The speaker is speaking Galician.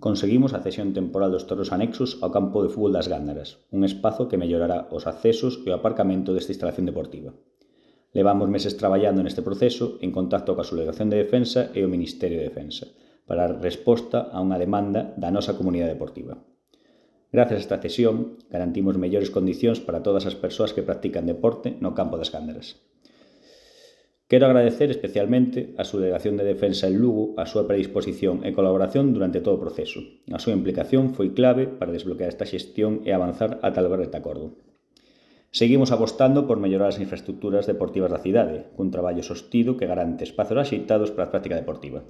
Conseguimos a cesión temporal dos terreos anexos ao campo de fútbol das Gándaras, un espazo que mellorará os accesos e o aparcamento desta instalación deportiva. Levamos meses traballando neste proceso en contacto coa Subdelegación de Defensa e o Ministerio de Defensa para dar resposta a unha demanda da nosa comunidade deportiva. Gracias a esta cesión, garantimos mellores condicións para todas as persoas que practican deporte no campo das Gándaras. Quero agradecer especialmente á Subdelegación de Defensa en Lugo a súa predisposición e colaboración durante todo o proceso. A súa implicación foi clave para desbloquear esta xestión e avanzar ata lograr este acordo. Seguimos apostando por mellorar as infraestructuras deportivas da cidade, cun traballo sostido que garante espazos axeitados para a práctica deportiva.